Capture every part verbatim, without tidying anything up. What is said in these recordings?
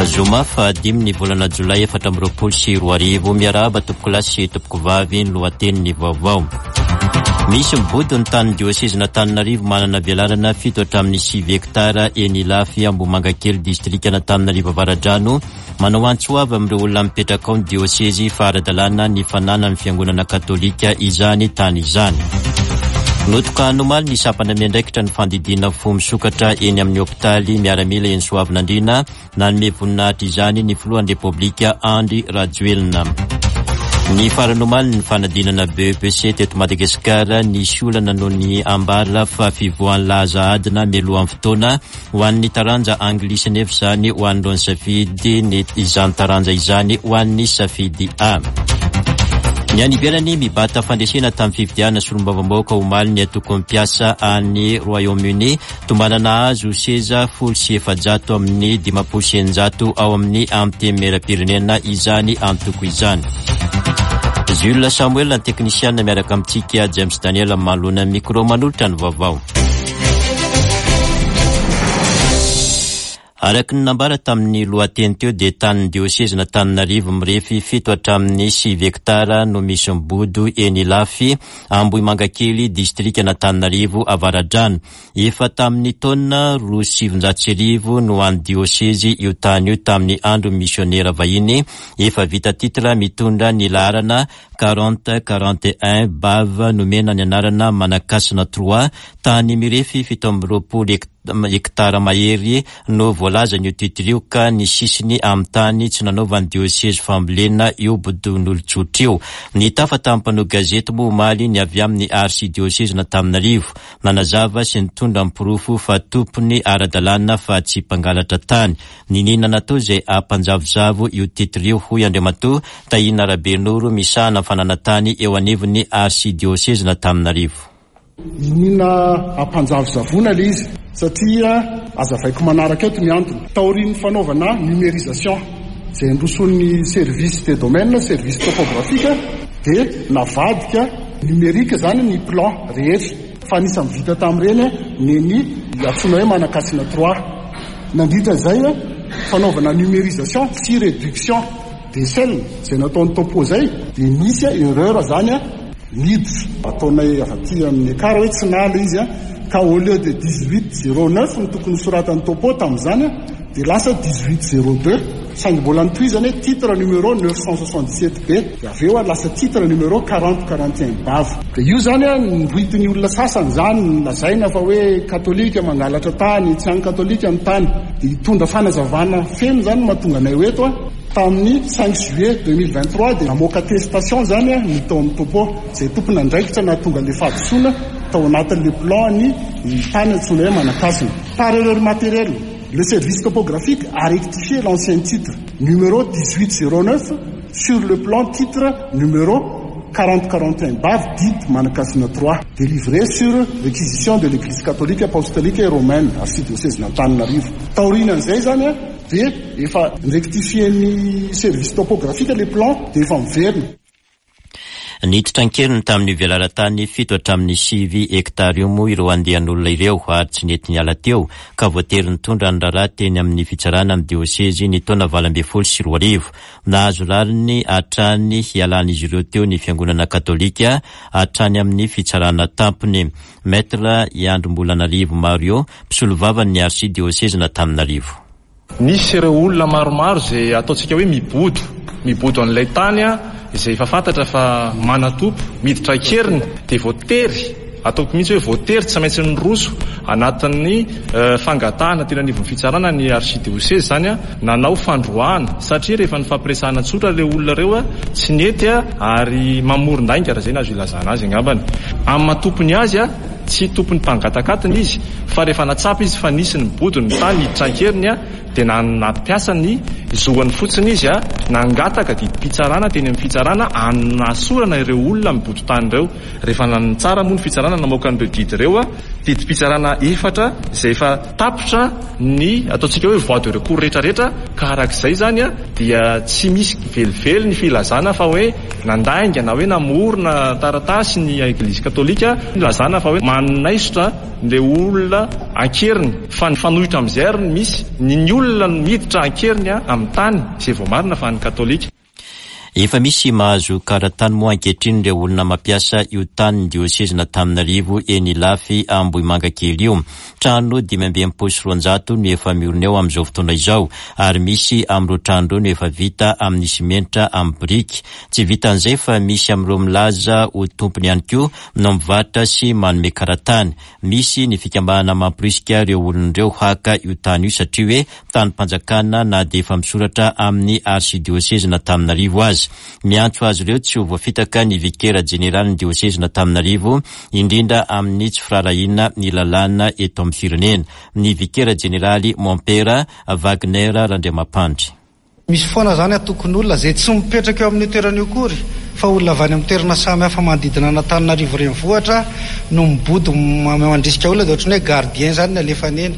Zoma fahadimy ny volana jolay efatra amby roapolo sy roa arivo. Miarahaba tompokolahy sy tompokovavy. Ny lohatenin'ny vaovao: misy mibodo ny tanin'ny diosezin'Antananarivo manana velarana fito hatramin'ny sivy hektara eny Ilafy, Ambohimangakely, distrikan'Antananarivo Avaradrano. Manao antso avy amin'ireo olona mipetraka ao ny diosezy fa ara-dalàna ny fananan'ny fiangonana katolika izany tany izany. Notokana omaly ny sampana miandraikitra ny fandidiana fo misokatra eny amin'ny hopitaly miaramila eny Soavinandriana. Nanome voninahitra izany ny filohan'ny Repoblika Andry Rajoelina. Ny farany omaly ny fanadinana B E P C teto Madagasikara. Nisy olana noho ny ambara fa fivoahan'ny laza adina mialohan'ny fotoana ho an'ny taranja anglisy, nefa izany ho an'ireo ny safidy ny izany taranja izany ho an'ny safidy A. Ny any ivelany, mibata fandresena tamin'ny fifidianana solombavambahoaka omaly ny antoko mpiasa any Royaume-Uni. Tombanana azo seza folo sy efajato amin'ny dimampolo sy eninjato ao amin'ny antenimieram-pirenena izany antoko izany. Jules Samuel ny teknisiana, miaraka amintsika James Daniel manoloana micro manolotra ny vaovao. Araky ny nambara tamin'ny lohateny teo dia tanin'ny diosezin'Antananarivo mirefy fito hatramin'ny sivy hektara no misy mibodo eny Ilafy, Ambohimangakely, distrikan'Antananarivo Avaradrano. Efa tamin'ny taona roa sivinjato sy arivo no an'ny diosezy io tany io tamin'ny andro misionera vahiny. Efa vita titre mitondra ny laharana quarante quarante un bave, nomena ny anarana Manakasina trois. Tany mirefy fito amby roapolo hektara mahery no voalazany io titre io, ka ny sisiny amin'ny tany tsy nanaovan'ny diosezy fambolena io bodon'olon-tsotra io. Ny tafa tamin'ny mpanao gazety moa omaly ny avy amin'ny arsidiosezin'Antananarivo, nanazava sy nitondra ny porofo fa tompony ara-dalàna fa tsy mpangalatra tany. Niniana natao izay ampanjavozavo io titre io, hoy Andriamatoa Tahina Rabenoro, misahana fananan-tany eo anivon'ny arsidiosezin'Antananarivo. Iniana ampanjavozavoana le izy satria azavaiko manaraka eto ny antony. Taorian'ny fanaovana numérisation zay androson'ny service des domaines, service topographique, dia navadika numérique zany ny plan rehetra, fa anisan'ny vita tamin'ireny ny ny antsoina hoe Manakasina trois. Nandritra zay fanaovana numérisation sy réduction d'échelle zay nataony topo zay, dia nisy erreur zany a miditra ataonay avy aty amin'ny kara hoe tsy nala izy a, ka au lieu de dix-huit zéro neuf ny tokony soratan'ny topo tamin'izany a, dia lasa dix-huit zéro deux, saingy mbola nitohizany hoe titre numéro neuf cent soixante-dix-sept B, dia avy eo a lasa titre numéro quarante quarante et un bave. Dia io zany a noroitin'ny olona sasany zany, lazaina fa hoe katolika mangalatra tany, tsy any katolika ny tany. Dia hitondra fanazavana feno zany mahatonga anay ho eto a. Tamin'ny cinq juillet deux mille vingt-trois dia namoaka attestation zany a ny tao amin'ny topo zay tompony andraikitra nahatonga le fahadisoana tao anatin'le plan ny ny tany antsoina hoe Manakasina. Par erreur matérielle, le service topographique a rectifié l'ancien titre numéro dix-huit zéro neuf sur le plan titre numéro quarante quarante et un bave dit Manakasina trois, délivré sur réquisition de l'Église catholique apostolique et romaine, archidiocèse d'Antananarivo. Taorian'izay zany a dia efa rectifié ny service topographique le plan, dia efa miverina. Niditra an-keriny tamin'ny velaran-tany fito hatramin'ny sivy hektara io moa ireo andian'olona ireo ary tsy nety niala teo, ka voatery nitondra ny raharaha teny amin'ny fitsarana amin'ny diosezy ny taona valo ambin'ny folo sy roa arivo. Nahazo rariny hatrany hialan'izy ireo teo ny fiangonana katolika hatrany amin'ny fitsarana tampony. Maître Iandrombolanarivo Mario, mpisolovavany ny arsidiosezin'Antananarivo. Nisy ireo olona maromaro zay ataontsika hoe mibodo mibodo an'ilay tany a, izay efa fantatra fa manatompo miditra an-keriny, dia voatery, ataoko mihitsy hoe voatery, tsy maintsy nyroso anatin'ny fangatahana tena anivon'ny fitsarana ny archidiocèse zany a, nanao fandroahana, satria rehefa ny fampiresahana tsotra le olona reo a tsy nety a, ary mamoron-dainga raha zay nazo ilazana azy angambany. Amin'ny mahatompony azy a, tsy tompony mpangatakatiny izy, fa rehefa natsapa izy fa nisy ny mibodo ny tany hiditra an-keriny a, dia nampiasa ny zoany fotsiny izy a, nangataka didim-pitsarana teny amin'ny fitsarana anasorana ireo olona mibodo tany ireo. Rehefa nitsara moa ny fitsarana, namoaka an'ireo didy ireo a, didim-pitsarana efatra izay efa tapitra ny ataontsika hoe voie de recours rehetrarehetra. Ka arak'izay zany a dia tsy misy velively ny filazana fa hoe nandainga na hoe namorona taratasy ny Eglizy katolika, ilazana fa hoe Manaisotra le olona an-keriny, fa ny fanohitra amin'izay ary no misy ny ny olona no miditra an-keriny amin'ny tany izay voamarina fa an'ny katolika. Efa misy mahazo karatany moa ankehitriny ireo olona mampiasa io tanin'ny diosezin'Antananarivo eny Ilafy Ambohimangakely io. Trano dimy amby enimpolo sy roanjato no efa miorina eo amin'izao fotoana izao, ary misy amin'ireo trano ireo no efa vita amin'ny simenitra amin'ny biriky. Tsy vitan'izay fa misy amin'ireo milaza ho tompony ihany koa no mivarotra sy manome karatany. Misy ny fikambanana mamporisika ireo olona ireo haka io tany io satria hoe tanim-panjakana na dia efa misoratra amin'ny arsidiosezin'Antananarivo aza. Miantso azy ireo tsy ho voafitaka ny vikera jeneralin'ny diosezin'Antananarivo, indrindra amin'ny tsy firaharahiana ny lalàna eto amin'ny firenena. Ny vikera jeneraly Mompera Wagner Randriamampandry. Misy foana izany antokon'olona izay tsy mipetraka eo amin'io toerana io akory, fa olona avy any amin'ny toerana samy hafa manodidina an'Antananarivo renivohitra no mibodo mandrisika olona, dia ohatran'ny hoe gardien izany ny alefany eny.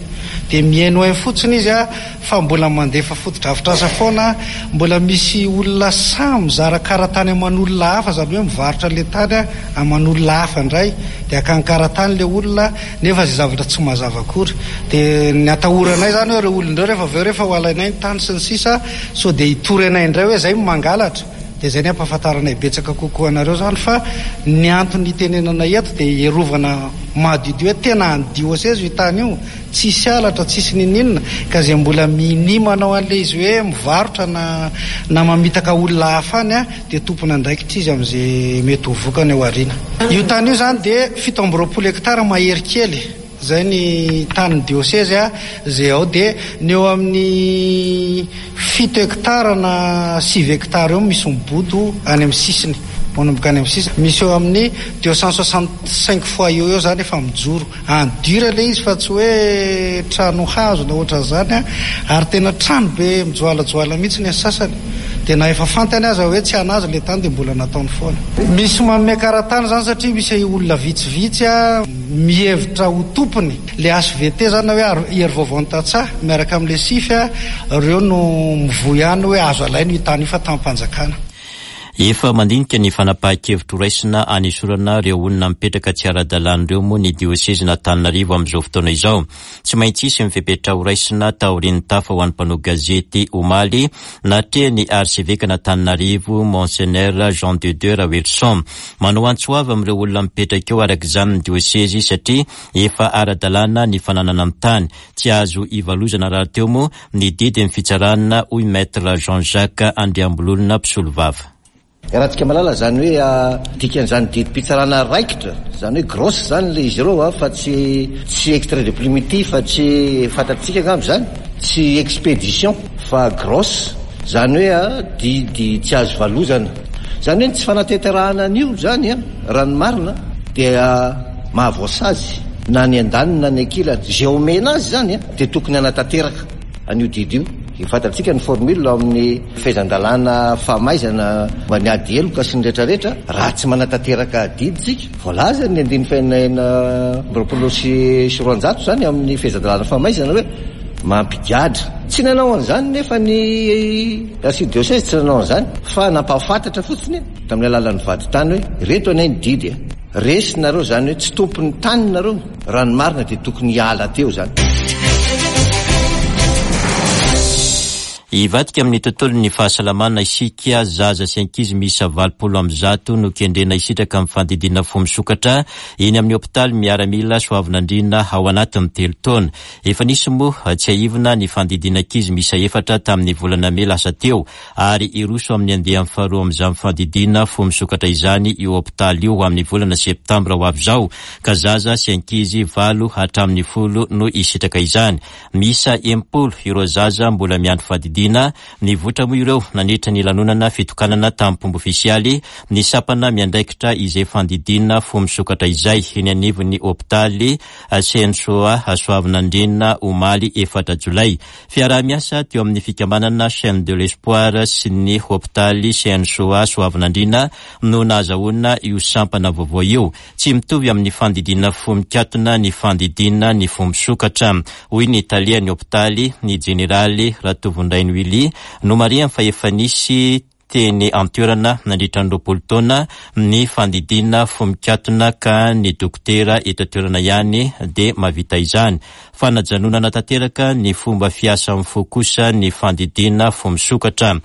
Dia mihainohaino fotsiny izy fa mbola mandefa fotodrafitrasa foana, mbola misy olona samy mizara karatany aman'olona hafa, izany hoe mivarotra ilay tany aman'olona hafa indray, dia akany karatany ilay olona, nefa izay zavatra tsy mazava akory. Dia ny atahoranay izany hoe ireo olona ireo rehefa avy eo rehefa ho alainay ny tany sy ny sisa, sao dia hitory anay indray hoe izay no mangalatra. Dia izay ny ampahafantaranay betsaka kokoa anareo izany, fa ny antony hitenenana eto dia hierovana madiodio hoe tena any diosezy io tany io, tsisy halatra, tsisy niniana, ka izay mbola minia manao an'ilay izy hoe mivarotra na na mamitaka olona hafa any dia tompon'andraikitra izy amin'izay mety ho vokany ao aoriana. Io tany io izany dia fito amby roapolo hektara mahery kely, izay ny tanin'ny diosezy izay ao, dia ny eo amin'ny fito hektara na sivy hektara eo misy mibodo any amin'ny sisiny, manomboka any amin'ny sisiny, misy eo amin'ny deux cent soixante-cinq fois eo eo izany efa mijoro en dur ilay izy fa tsy hoe trano hazo na ohatran'izany, ary tena trano be mijoalajoala mihitsy ny sasany, dia na efa fantany aza hoe tsy hanazy ilay tany dia mbola nataony foana. Misy manome karatany izany satria misy olona vitsivitsy mihevitra ho tompony le H V T izany hoe hery vaovao ny tantsaha miaraka amin'ilay sify, ireo no mivoy ihany hoe azo alaina io tany io fa tanim-panjakana. Efa mandinika ny fanapahan-kevitra horaisina anesorana ireo olona mipetraka tsy ara-dalàna ireo moa ny diosezin'Antananarivo amin'izao fotoana izao. Tsy maintsy hisy ny fepetra horaisina taorian'ny tafa ho an'ny mpanao gazety omaly natrehan'ny arsevekan'Antananarivo Monseigneur Jean de Dieu Raoelison. Manao antso avo amin'ireo olona mipetraka eo araka izany ny diosezy satria efa ara-dalàna ny fananana ny tany. Tsy azo ivalozana rahateo moa ny didin'ny fitsarana, hoy Maître Jean-Jacques Andriambololona mpisolovava. Raha tsika malala izany hoe dikan'izany didim-pitsarana raikitra, izany hoe grosse izany ilay izy ireo, fa tsy, tsy extrait de primitif, fa tsy fantatsika angamba izany, tsy expédition fa grosse, izany hoe didy tsy azo valozana. Izany hoe ny tsy fanatanterahana an'io izany, raha ny marina dia mahavoasazy na ny andaniny na ny ankilany. Izay omena azy izany dia tokony hanatanteraka an'io didy io. Fantatsika ny formule amin'ny fehezan-dalàna famaizana mba ny ady heloka sy ny rehetrarehetra, raha tsy manatanteraka didy tsika. Voalaza ny andininy fahenina amby roapolo sy roanjato izany amin'ny fehezan-dalàna famaizana hoe mampigadra. Tsy nanao an'izany nefa ny archidiocèse tsy nanao an'izany, fa nampahafantatra fotsiny tamin'ny alalan'ny vadintany hoe reto anay ny didy. Resy nareo izany hoe tsy tompon'ny tany nareo, raha ny marina dia tokony hiala teo izany. Hivadika amin'ny tontolon'ny fahasalamana isika, zaza sy ankizy miisa valopolo amby zato no kendrena hisitraka amin'ny fandidiana fo misokatra eny amin'ny hopitaly miaramila Soavinandriana ao anatin'ny telo taona. Efa nisy moa tsiahivina ny fandidiana ankizy miisa efatra tamin'ny volana mey lasa teo, ary hiroso amin'ny andiany faharoa amin'izany fandidiana fo misokatra izany io hopitaly io amin'ny volana septambra ho avy izao, ka zaza sy ankizy valo hatramin'ny folo no hisitraka izany. Miisa enimpolo ireo zaza mbola miandry fandidiana. Nivoitra moa ireo nandritra ny lanonana fitokanana tamin'ny fomba ofisialy ny sampana miandraikitra izay fandidiana fo misokatra izay eny anivon'ny hopitaly C N S O A Soavinandriana omaly efatra jolay. Fiaraha-miasa teo amin'ny fikambanana Chaîne de l'Espoir sy ny hopitaly C N S O A Soavinandriana no nahazahoana io sampana vaovao io. Tsy mitovy amin'ny fandidiana fo mikatona ny fandidiana ny fo misokatra, hoy ny talehan'ny hopitaly, ny jeneraly Ratovondrainy Willy. Nomarihany fa efa nisy teny an-toerana nandritra ny roapolo taona ny fandidiana fo mikatona ka ny dokotera eto an-toerana ihany dia mahavita izany. Fanajanonana tanteraka ny fomba fiasan'ny fo kosa ny fandidiana fo misokatra.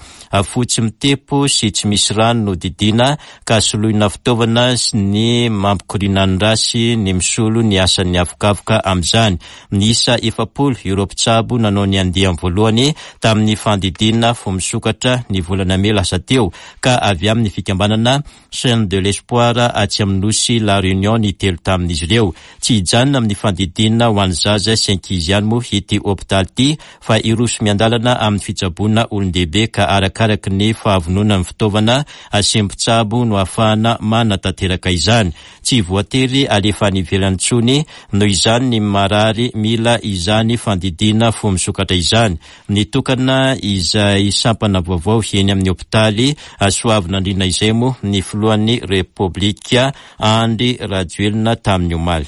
Fo tsy mitepo sy tsy misy rano no didiana ka soloina fitaovana ny mampikoriana ny rà sy ny misolo ny asan'ny avokavoka amin'izany. Miisa efapolo ireo mpitsabo nanao ny andiany voalohany tamin'ny fandidiana fo misokatra ny volana mey lasa teo ka avy amin'ny fikambanana Chaîne de l'Espoir atsy amin'ny nosy La Réunion ny telo tamin'izy ireo. Tsy hijanona amin'ny fandidiana ho an'ny zaza sy ankizy ihany moa ity hopitaly ity fa hiroso miandalana amin'ny fitsaboana olon-dehibe ka arakaraky ny fahavononan'ny fitaovana sy mpitsabo no ahafahana manatanteraka izany. Tsy voatery alefa any ivelany intsony noho izany ny marary mila izany fandidiana fo misokatra izany. Nitokana izay sampana vaovao eny amin'ny hopitaly Soavinandriana izay moa ny filohan'ny Repoblika Andry Rajoelina tamin'ny omaly.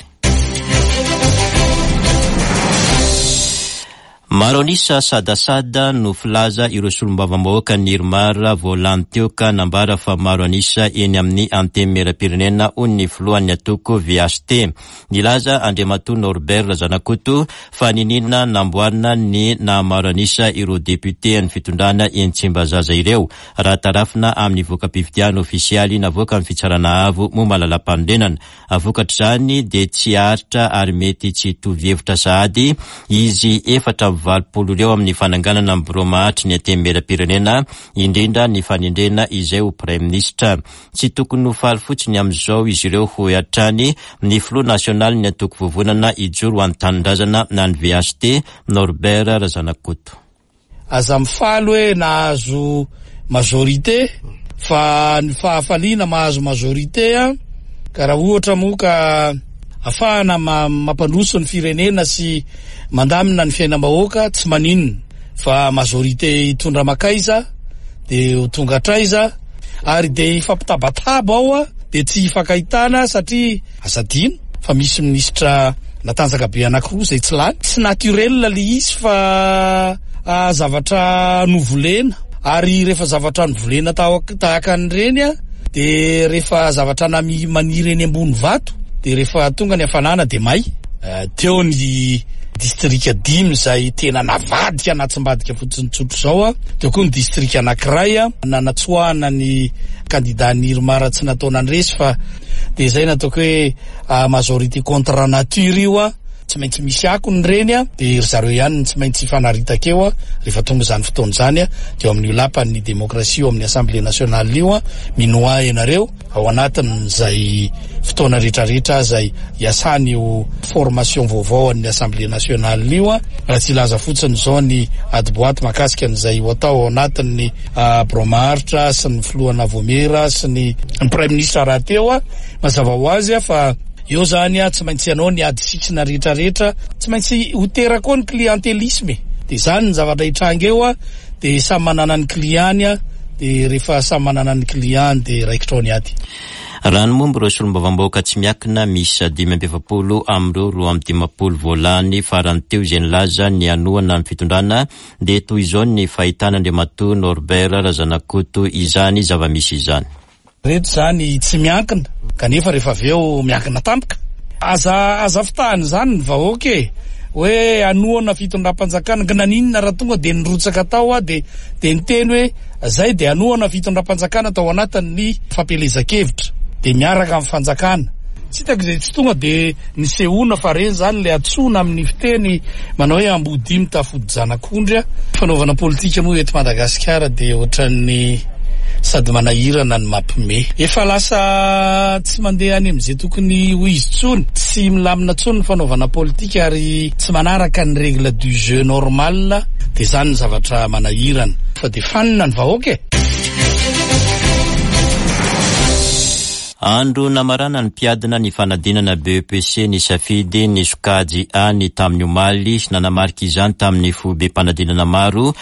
Maro an'isa sadasada no filaza ireo solombavambahoaka ny IRMAR vao lany teo ka nambara fa maro an'isa eny amin'ny antenimieram-pirenena hoy ny filohan'ny antoko V H T. Nilaza Andriamatoa Norbert Razanakoto fa niniana namboarina ny nahamaro an'isa ireo député an'ny fitondrana eny Tsimbazaza ireo raha tarafina amin'ny voka-pifidianana ofisialy navoakan'ny fitsarana avo momba ny lalàm-panorenana. Vokatr'izany dia tsy aritra ary mety tsy hitovy hevitra sahady izy efatra amby valopolo ireo amin'ny fananganana ny birao mahatry ny antenimieram-pirenena, indrindra ny fanendrena izay ho praiminisitra. Tsy tokony ho faly fotsiny amin'izao izy ireo hoy hatrany ny filoha nasionalin'ny antoko Vovonana Ijoro ho an'ny Tanindrazana na ny V H T, Norbert Razanakoto. Aza mifaly hoe nahazo majorité fa ny fahafaliana mahazo majorité a, ka raha ohatra moa ka ahafahana mampandroso ny firenena sy mandamina ny fiainam-bahoaka tsy maninona fa majorité hitondra makaiza de ho tonga hatraiza ary de hifampitabataba ao a, de tsy hifankahitana satria aza adino fa misy minisitra natanjaka be anankiroa izay tsy lany. Tsy naturel le izy fa zavatra novolena ary rehefa zavatra novolena tahaka an'ireny a, de rehefa zavatra nami-, maniry eny ambony vato de rehefa tonga ny hafanana de may. Teo ny distrika dimy izay tena navadika natsimbadika fotsiny tsotra izao a, teo koa ny distrika anankiray a, nanatsoahana ny kandida ny IRMAR tsy natao nandresy fa de izay nataoko hoe majorité contre nature io a, tsy maintsy misy akony ireny a, de ry zareo ihany no tsy maintsy hifanaritaka eo a, rehefa tonga izany fotoana izany a, de eo amin'io lapan'ny demokrasia eo amin'ny assemblée nationale io a, minoa ianareo ao anatin'izay fotoana rehetrarehetra izay iasany io formation vaovao an'ny assemblée nationale io a, raha tsy hilaza fotsiny izao ny ady boaty mahakasika an'izay ho atao ao anatin'ny birao maharitra sy ny filohana Voamera sy ny praiminisitra rahateo a, mazava ho azy a fa eo zany a tsy maintsy ianao ny ady sisina rehetrarehetra, tsy maintsy ho teraka koa ny clientélisme, de zany ny zavatra hitranga eo a, de samy manana ny client-ny a, de rehefa samy manana ny client-ny de raikitra ao ny ady. Raha ny momba ireo solombavambahoaka tsy miankina miisa dimy amby efapolo amin'ireo roa amby dimampolo voalany farany teo izay nilaza ny hanohana ny fitondrana dia toy izao ny fahitana Andriamatoa Norbert Razanakoto izany zava-misy izany. Reto zany tsy miankina kanefa rehefa avy eo miankina tampoka. Aza, aza fitahana izany ny vahoaka e, hoe hanohana fitondram-panjakana, ka naninona raha tonga dia nirotsaka tao a, de, de niteny hoe zay dia hanohana fitondram-panjakana tao anatin'ny fampielezan-kevitra, de miaraka amin'ny fanjakana. Tsy hitako izay tsy tonga dia nisehoana fa reny zany le antsoina amin'ny fiteny manao hoe ambodimy tafody zanak'ondry a. Fanaovana politika moa eto Madagasikara dia ohatran'ny sady manahirana ny mampime. Efa lasa tsy mandeha any amin'izay tokony ho izy intsony, tsy milamina intsony ny fanaovana politika ary tsy manaraka ny règle du jeu normal, dia zany ny zavatra manahirana. Fa dia fanina ny vahoaka e. Andro namaranan'ny mpiadina ny fanadinana B E P C ny safidy ny sokajy A ny tamin'ny omaly. Nanamarika izany tamin'ny foibem-panadinana maro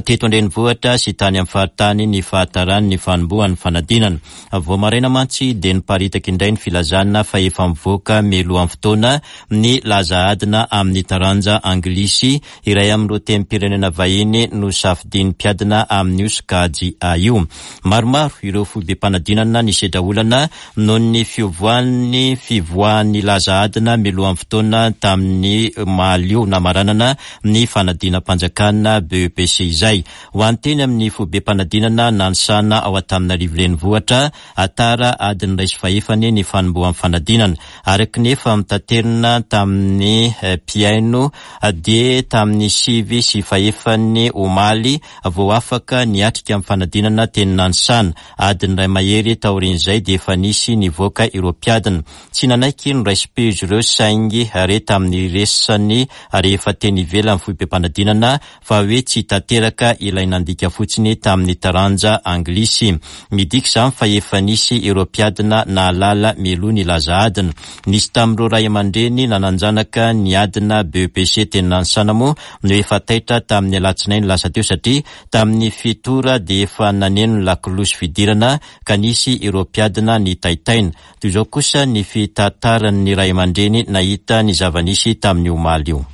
teto an-drenivohitra sy tany amin'ny faritany ny fahatarany ny fanombohan'ny fanadinana. Vao maraina mantsy dia niparitaka indray ny filazana fa efa mivoaka mialohan'ny fotoana ny laza adina amin'ny taranja anglisy, iray amin'ireo tenim-pirenena vahiny no safidin'ny mpiadina amin'io sokajy A io. Maromaro ireo foibem-panadinana ny sedra olana noho ny fiovoan'ny fivoahan'ny laza adina mialohan'ny fotoana tamin'ny omaly io namaranana ny fanadinam-panjakana B E P C izay. Ho anteny amin'ny foibem-panadinana Nanisana ao Antananarivo renivohitra, tara adiny iray sy fahefany ny fanombohan'ny fanadinana. Araka ny efa notaterina tamin'ny mpihaino dia tamin'ny sivy sy fahefany omaly vao afaka niatrika amin'ny fanadinana teny Nanisana. Adiny iray mahery taorian'izay dia efa nisy nivoaka ireo mpiadina. Tsy nanaiky noraisim-peo izy ireo, saingy re tamin'ny resany rehefa teny ivelan'ny foibem-panadinana fa hoe tsy tanteraka ilay nandika fotsiny tamin'ny taranja anglisy. Midika izany fa efa nisy ireo mpiadina nahalala mialoha ny laza adina. Nisy tamin'ireo ray aman-dreny nanan-janaka niadina B E P C teny Nanisana moa no efa taitra tamin'ny alatsinainy lasa teo, satria tamin'ny fito ora dia efa naneno ny lakolosy fidirana ka nisy ireo mpiadina nitaitaina. Toy izao kosa ny fitantaran'ny ray aman-dreny nahita ny zava-nisy tamin'ny omaly io.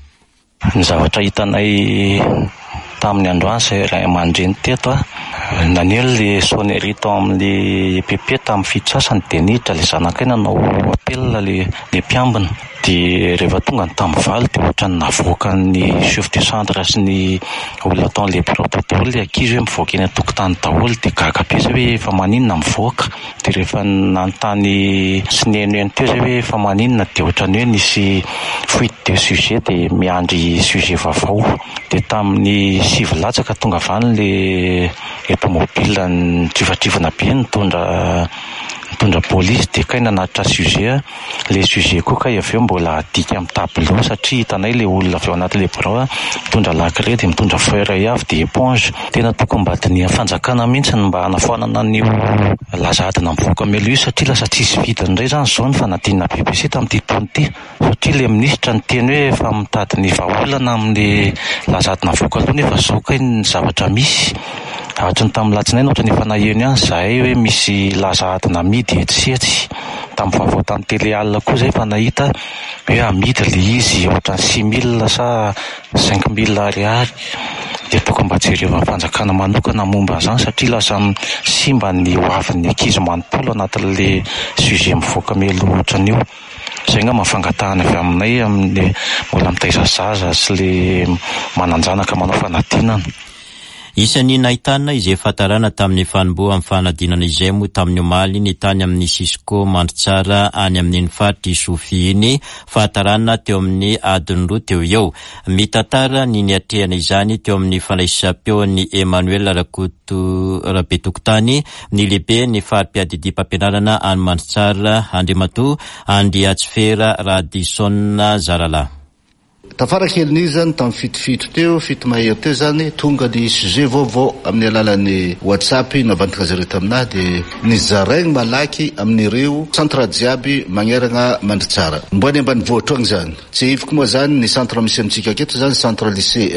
Ny zavatra hitanay tamin'ny androany izay ray aman-dreny teto a, naneno le sonnerie tao amin'le E P P tamin'ny fito sasany, dia niditra le zanakay nanao appel le le mpiambina. Dia rehefa tonga ny tamin'ny valo dia ohatrany navoakan'ny chef de centre sy ny olona tao amin'le bureau daholo le ankizy hoe mivoaka eny an-tokotany daholo. Dia gaga be zay hoe efa maninona mivoaka. Dia rehefa nanontany sy nihainohaino teo zay hoe efa maninona, dia ohatrany hoe nisy fuite de sujet, dia miandry sujet vaovao. Dia tamin'ny sivy latsaka tonga avy any le automobile nitrivatrivana be nitondra nitondra polisy, dia kay nanatitra sujet. Le sujet koa kay avy eo mbola adika amin'ny tableau, satria hitanay le olona avy ao anatin'le bureau mitondra la craie, dia mitondra feuille avy, dia éponge. Tena tokony mba dinihan'ny fanjakana mihitsy ny mba hanafoanana an'io laza adina mivoaka mialoha io, satria lasa tsisy vidiny indray zany zao ny fanadinana B E P C tamin'ity taona ity, satria le minisitra niteny hoe efa mitady ny vahaolana amin'ny laza adina mivoaka aloha, nefa zao kay ny zavatra misy. Hatry ny tamin'ny latsinainy ohatrany efa naheno ihany zahay hoe misy laza adina amidy etsy sy etsy. Tamin'ny vaovao tamin'ny télé alina koa zay efa nahita hoe amidy le izy, ohatrany six mille sa cinq mille ariary. Dia tokony mba jerevan'ny fanjakana manokana momba an'izany, satria lasa simba ny hoavin'ny ankizy manontolo anatin'le sujet mivoaka mialoha ohatran'io. Zay angamba fangatahana avy aminay amin'ny mbola mitaiza zaza sy le manan-janaka manao fanadinana. Isan'ny nahitana izay fahatarana tamin'ny fanombohan'ny fanadinana izay moa tamin'ny omaly ny tany amin'ny Cisco Mandritsara any amin'iny faritry Sofia iny, fahatarana teo amin'ny adiny roa teo eo. Mitantara ny niatrehana izany teo amin'ny fandraisam-peon'ny Emmanuel Rakoto Rabetokotany ny lehibe ny fari-piadidiam-pampianarana any Mandritsara, Andriamatoa Andriatsifera Radison Zaralahy. Tafara kelin'izy zany, tamin'ny fitofito teo, fito mahery teo zany, tonga ny sujet vaovao amin'ny alalan'ny WhatsApp navantaka zareo taminahy, dia nizaraigny malaky amin'ireo centre jiaby magnerana Mandritsara mbo any ambanivohitra agny zany. Tsy iviko moa zany ny centre misy amintsika aketo zany: centre lycée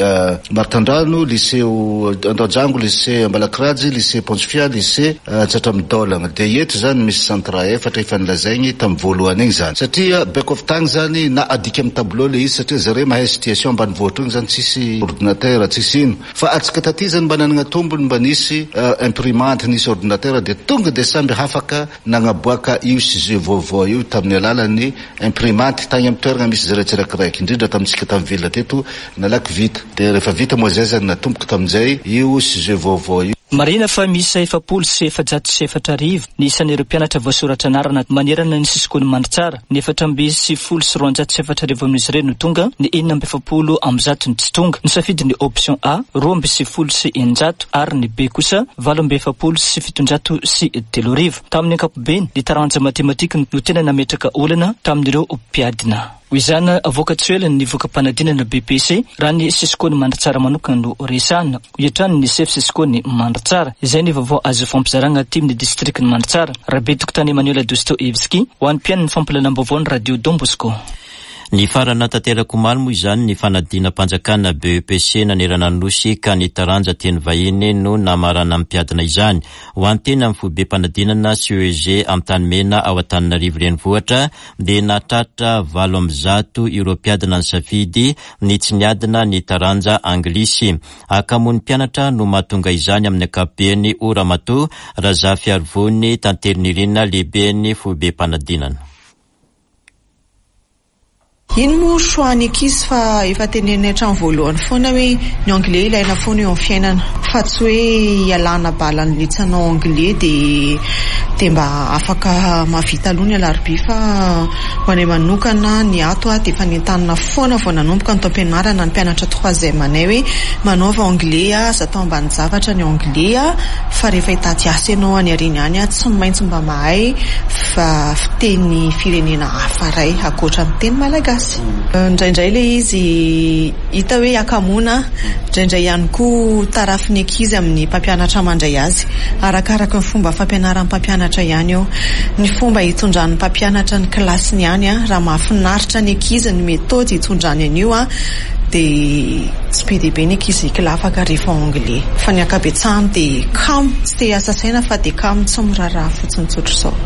Maritandrano, lycée Andojango, lycée Ambalakirajy, lycée Pontsophia, lycée Tsatramidolagna. Dia eto zany misy centre efatra efa nilazaigny tamin'ny voalohany igny zany, satria beko avy tagny zany na adika amin'ny tableau le izy, satria zareo mahay situation ambanivohitra igny zany, tsisy ordinateur, tsisy ino. Fa atsika taty zany mba nanana tombony, mba nisy imprimante, nisy ordinateur, de tonga de samby hafaka nagnaboaka io sujet vaovao io tamin'ny alalan'ny imprimante tagny amin'ny toerana misy zareo tsirakiraiky, indrindra tamintsika tamin'ny ville teto nalaky vita. De rehefa vita moa zay zany, natomboko tamin'izay io sujet vaovao io. Marina fa misy efapolo sy efajato sy efatra arivo ny isan'ireo mpianatra voasoratra anarana manerana ny Cisco ny Mandritsara. Ny efatra amby sivifolo sy roanjato sy efatra arivo amin'izy ireo no tonga, ny enina amby efapolo amby zato ny tsy tonga. Ny safidy ny option A roa amby sivifolo sy eninjato ary ny B kosa valo amby efapolo sy fitonjato sy telo arivo. Tamin'ny ankapobeny, ny taranja matematika no tena nametraka olana tamin'ireo mpiadina. Ho izany avoaka tsy ela ny voka-panadinana B E P C raha ny sekoly Mandritsara manokana no resahana, hoy hatrany ny sefo sekoly Mandritsara. Izay ny vaovao azo fampizarana aty amin'ny district ny Mandritsara. Rabe tokotany Emmanuel Dostoevski ho an'ny mpihaino ny fampahalalam-baovao ny Radio Don Bosco. Nifarana tanteraka omaly moa izany ny fanadinam-panjakana B E P C nanerana ny nosy, ka ny taranja teny vahiny no namarana amin'ny mpiadina izany. Ho antena amin'ny foibe-panadinana C E G Antanimena ao Antananarivo renivohitra dia natratra valo amby zato ireo mpiadina ny safidy ny tsy niadina ny taranja anglisy. Hakamoan'ny mpianatra no mahatonga izany amin'ny ankapobeny, hoy Ramatoa Razafiarivony Tantelinirina, lehiben'ny foibe-panadinana. Iny moa choix ny ankizy, fa efa tenenina hatramin'ny voalohany foana hoe ny anglais ilaina foana eo amin'ny fiainana, fa tsy hoe ialana balany tsy hanao anglais dia dia mba afaka mahavita aloha ny alarobia. Fa ho anay manokana ny ato a, dia efa nentanina foana vao nanomboka ny taom-pianarana ny mpianatra troisième anay hoe manaova anglais a, aza atao ambany zavatra ny anglais a, fa rehefa hitady asa ianao any aoriana any a, tsy maintsy mba mahay fa fiteny firenena hafa ray ankoatra ny teny malagasy. Indraindray le izy hita hoe hakamoana, indraindray ihany koa tarafin'ny ankizy amin'ny mpampianatra mandray azy. Arakaraka ny fomba fampianaran'ny mpampianatra ihany eo, ny fomba hitondran'ny mpampianatra ny kilasiny ihany a. Raha mahafinaritra ny ankizy ny méthode hitondrany an'io a, dia tsy be dia be ny ankizy kilafaka rehefa anglais, fa ny ankabetsahany dia kamo, tsy te hiasa saina fa dia kamo, tsy miraharaha fotsiny tsotra izao.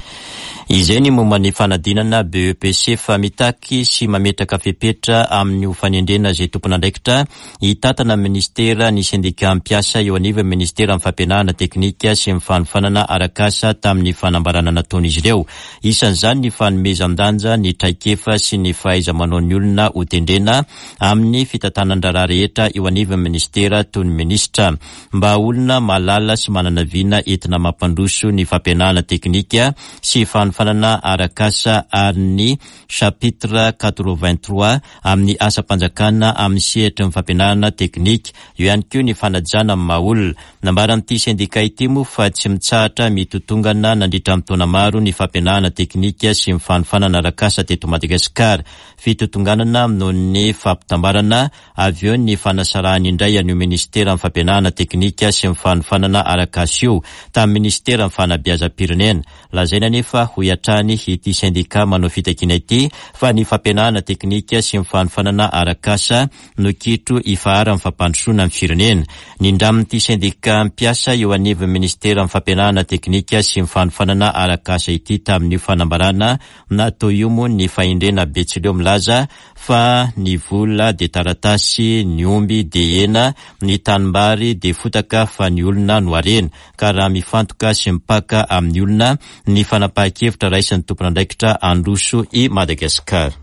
Izay ny momba ny fanadinana B E P C. Fa mitaky sy mametraka fepetra amin'ny fanendrena izay tompon'andraikitra hitantana ministera ny sendika mpiasa eo anivon'ny ministera ny fampianarana teknika sy ny fanofanana arak'asa. Tamin'ny fanambarana nataon'izy ireo, isan'izany ny fanomezan-danja ny traikefa sy ny fahaiza manao ny olona hotendrena amin'ny fitantanan-draharaha rehetra eo anivon'ny ministera, toy ny ministra mba olona mahalala sy manana vina entina mampandroso ny fampianarana teknika sy fanofanana arak'asa, ary ny chapitre quatre-vingt-trois amin'ny asam-panjakana amin'ny sehatry ny fampianarana teknika. Eo ihany koa ny fanajana amin'ny maha olona. Nambaran'ity sendika ity moa fa tsy mitsahatra mitotongana nandritra ny taona maro ny fampianarana teknika sy ny fanofanana arak'asa teto Madagasikara. Fitotonganana noho ny fampitambarana, avy eo ny fanasarahany indray an'io ministera ny fampianarana teknika sy ny fanofanana arak'asa io tamin'ny ministera ny fanabeazam-pirenena. Lazaina nefa, hoy hatrany ity sendika manao fitakiana ity, fa ny fampianarana teknika sy ny fanofanana arak'asa no kitro ifaharan'ny fampandrosoana ny firenena. Nindramin'ity sendika mpiasa eo anivon'ny ministera ny fampianarana teknika sy ny fanofanana arak'asa ity tamin'io fanambarana natao io moa ny fahendrena betsileo milaza fa ny vola de taratasy, ny omby de hena, ny tanimbary de fotaka, fa ny olona no harena, ka raha mifantoka sy mipaka amin'ny olona ny fanapahan-kevitra raisin'ny tompon'andraikitra, handroso i Madagasikara.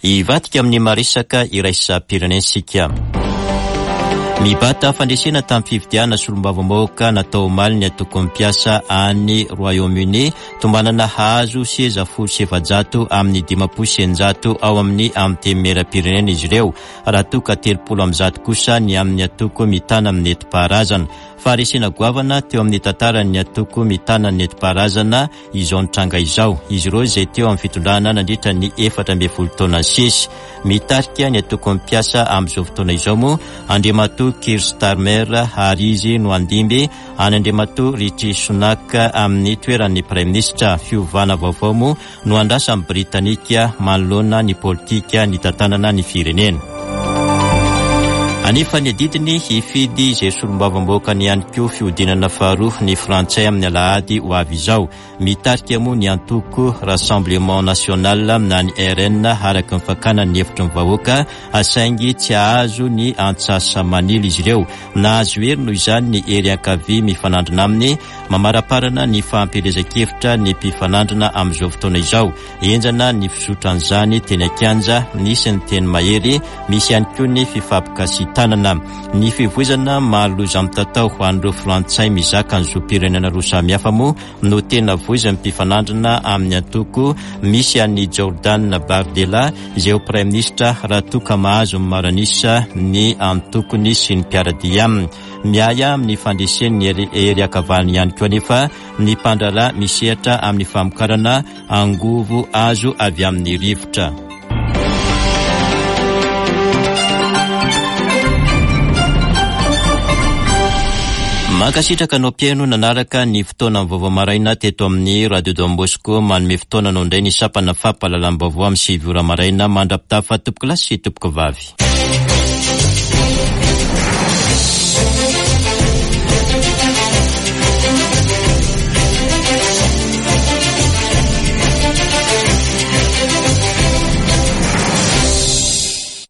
Hivadika amin'ny maresaka iraisam-pirenena isika. Mibata fandresena tamin'ny fifidianana solombavambahoaka natao omaly ny antoko mpiasa any Royaume-Uni. Tombanana hahazo seza folo sy efajato amin'ny dimampolo sy eninjato ao amin'ny antenimieram-pirenena izy ireo, raha toka telopolo amby zato kosa ny amin'ny antoko mitana amin'ny nentim-paharazana. Faharesena goavana teo amin'ny tantaran'ny antoko mitana ny nentim-paharazana izao nitranga izao, izy ireo izay teo amin'ny fitondrana nandritra ny efatra ambin'ny folo taona sesy. Mitarika ny antoko mpiasa amin'izao fotoana izao moa Andriamatoa Keir Starmer, ary izy no handimby any Andriamatoa Rishi Sunak amin'ny toeran'ny praiminisitra. Fiovana vaovao moa no andrasan'ny Britanika manoloana ny politika ny tantanana ny firenena. Anefa ny adidiny hifidy izay solombavambahoaka ny ihany koa fihodinana faharoa ny Frantsay amin'ny alahady ho avy izao. Mitarika moa ny antoko Rassemblement national na ny R N araka ny fakana ny hevitry ny vahoaka, saingy tsy ahazo ny antsasa-manila izy ireo. Nahazo hery noho izany ny hery ankavia mifanandrina aminy. Mamaraparana ny fampielezan-kevitra ny mpifanandrina amin'izao fotoana izao. Enjana ny fizotran'izany teny an-kianja, nisy ny teny mahery, misy ihany koa ny fifampikasitanana. Ny fivoizana mahaloza mitatao ho an'ireo Frantsay mizaka ny zom-pirenena roa samihafa moa no tena voizan'ny mpifanandrina amin'ny antoko misy an'ny Jordan Bardella, izay ho praiminisitra raha toka mahazo ny maro an'isa ny antokony sy ny mpiara-dia aminy. Miahy amin'ny fandresen'ny hery ankavanana ihany koa anefa ny mpandraharaha misehatra amin'ny famokarana angovo azo avy amin'ny rivotra. Mankasitraka anao mpihaino nanaraka ny fotoana vaovao maraina teto amin'ny Radio Don Bosco. Manome fotoana anao indray ny sampana fampahalalam-baovao amin'ny sivy ora maraina. Mandra-pitafa tompoko lahy sy tompoko vavy.